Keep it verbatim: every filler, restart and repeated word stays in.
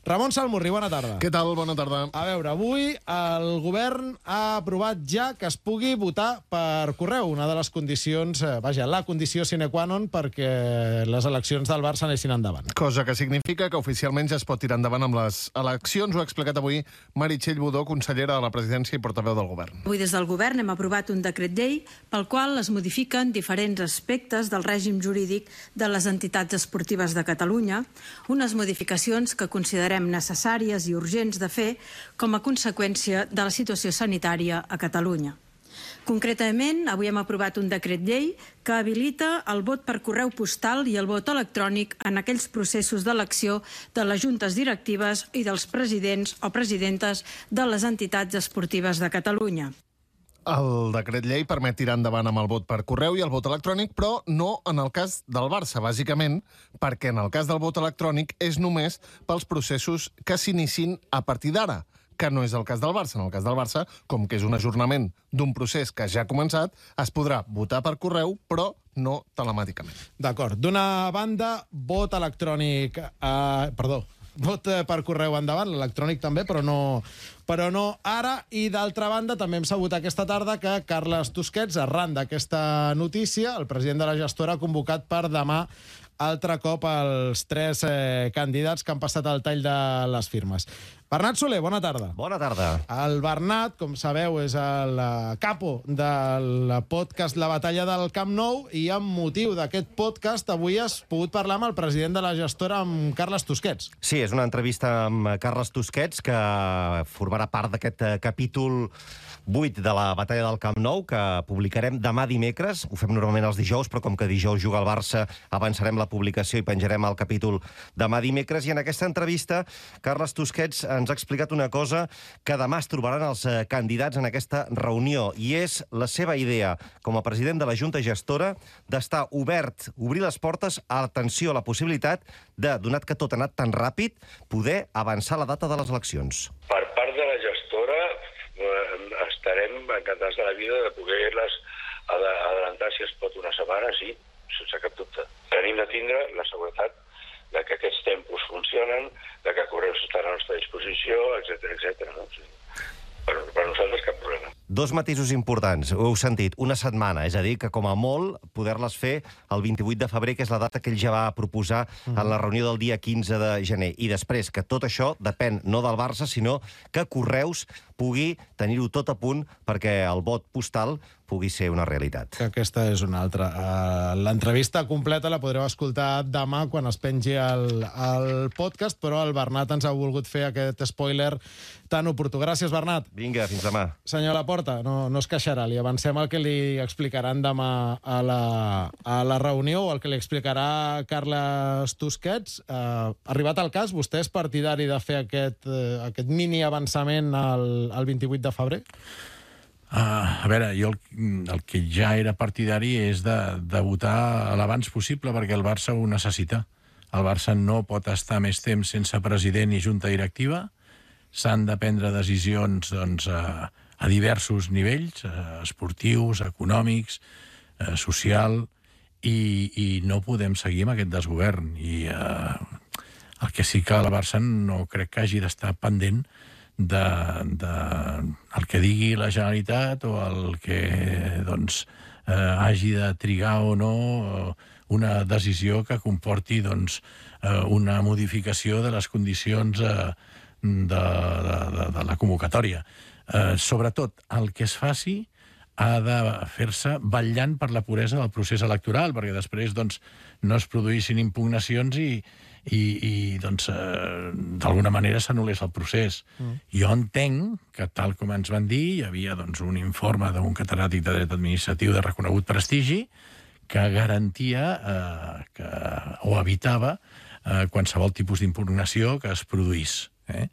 Ramon Salmurri, bona tarda. Què tal? Bona tarda. A veure, avui el govern ha aprovat ja que es pugui votar per correu, una de les condicions, eh, vaja, la condició sine qua non perquè les eleccions del Barça anessin endavant. Cosa que significa que oficialment ja es pot tirar endavant amb les eleccions. Ho ha explicat avui Meritxell Budó, consellera de la Presidència i portaveu del govern. Avui des del govern hem aprovat un decret llei pel qual es modifiquen diferents aspectes del règim jurídic de les entitats esportives de Catalunya, unes modificacions que considerem necessàries i urgents de fer com a conseqüència de la situació sanitària a Catalunya. Concretament, avui hem aprovat un decret llei que habilita el vot per correu postal i el vot electrònic en aquells processos d'elecció de les juntes directives i dels presidents o presidentes de les entitats esportives de Catalunya. El decret llei permet tirar endavant amb el vot per correu i el vot electrònic, però no en el cas del Barça, bàsicament perquè en el cas del vot electrònic és només pels processos que s'iniciïn a partir d'ara, que no és el cas del Barça. En el cas del Barça, com que és un ajornament d'un procés que ja ha començat, es podrà votar per correu, però no telemàticament. D'acord. D'una banda, vot electrònic... Eh, perdó, vot per correu endavant, l'electrònic també, però no, però no ara. I d'altra banda, també hem sabut aquesta tarda que Carles Tusquets, arran d'aquesta notícia, el president de la gestora ha convocat per demà altre cop els tres eh, candidats que han passat el tall de les firmes. Bernat Soler, bona tarda. Bona tarda. El Bernat, com sabeu, és el capo del podcast La Batalla del Camp Nou i amb motiu d'aquest podcast avui has pogut parlar amb el president de la gestora, amb Carles Tusquets. Sí, és una entrevista amb Carles Tusquets que formarà part d'aquest capítol vuit de la Batalla del Camp Nou, que publicarem demà dimecres. Ho fem normalment els dijous, però com que dijous juga el Barça, avançarem la publicació i penjarem el capítol demà dimecres. I en aquesta entrevista, Carles Tusquets ens ha explicat una cosa que demà es trobaran els candidats en aquesta reunió, i és la seva idea, com a president de la Junta Gestora, d'estar obert, obrir les portes a l'atenció, a la possibilitat de, donat que tot ha anat tan ràpid, poder avançar la data de les eleccions. Per part de la gestora, estarem encantats de la vida de poder-les adelantar, si es pot, una setmana, sí, sense cap dubte. Tenim de tindre la seguretat de que aquests tempos funcionen, de que Correus estarà a la nostra disposició, etcètera, etcètera. No? Sí. Per, per nosaltres cap problema. Dos matisos importants, ho heu sentit, una setmana, és a dir, que com a molt poder-les fer el vint-i-vuit de febrer, que és la data que ell ja va proposar en la reunió del dia quinze de gener. I després, que tot això depèn no del Barça, sinó que Correus pugui tenir-ho tot a punt perquè el vot postal pugui ser una realitat. Que aquesta és una altra. Uh, L'entrevista completa la podreu escoltar demà quan es pengi el, el podcast, però el Bernat ens ha volgut fer aquest spoiler tan oportú. Gràcies, Bernat. Vinga, fins demà. Senyor Laporta, no, no es queixarà. Li avancem el que li explicaran demà a la, a la reunió, o el que li explicarà Carles Tusquets. Uh, arribat al cas, vostè és partidari de fer aquest, uh, aquest mini avançament al, al vint-i-vuit de febrer? Uh, a veure, jo el, el que ja era partidari és de, de votar l'abans possible perquè el Barça ho necessita. El Barça no pot estar més temps sense president i junta directiva. S'han de prendre decisions doncs, a, a diversos nivells, uh, esportius, econòmics, uh, social, i, i no podem seguir amb aquest desgovern. I uh, el que sí que el Barça no crec que hagi d'estar pendent de, de el que digui la Generalitat o el que doncs, eh, hagi de trigar o no una decisió que comporti doncs, eh, una modificació de les condicions eh, de, de, de, de la convocatòria. Eh, sobretot, el que es faci ha de fer-se vetllant per la puresa del procés electoral, perquè després doncs, no es produïssin impugnacions i, i, i doncs, eh, d'alguna manera s'anul·lés el procés. Mm. Jo entenc que, tal com ens van dir, hi havia doncs, un informe d'un catedràtic de dret administratiu de reconegut prestigi que garantia eh, que, o evitava eh, qualsevol tipus d'impugnació que es produís. Eh?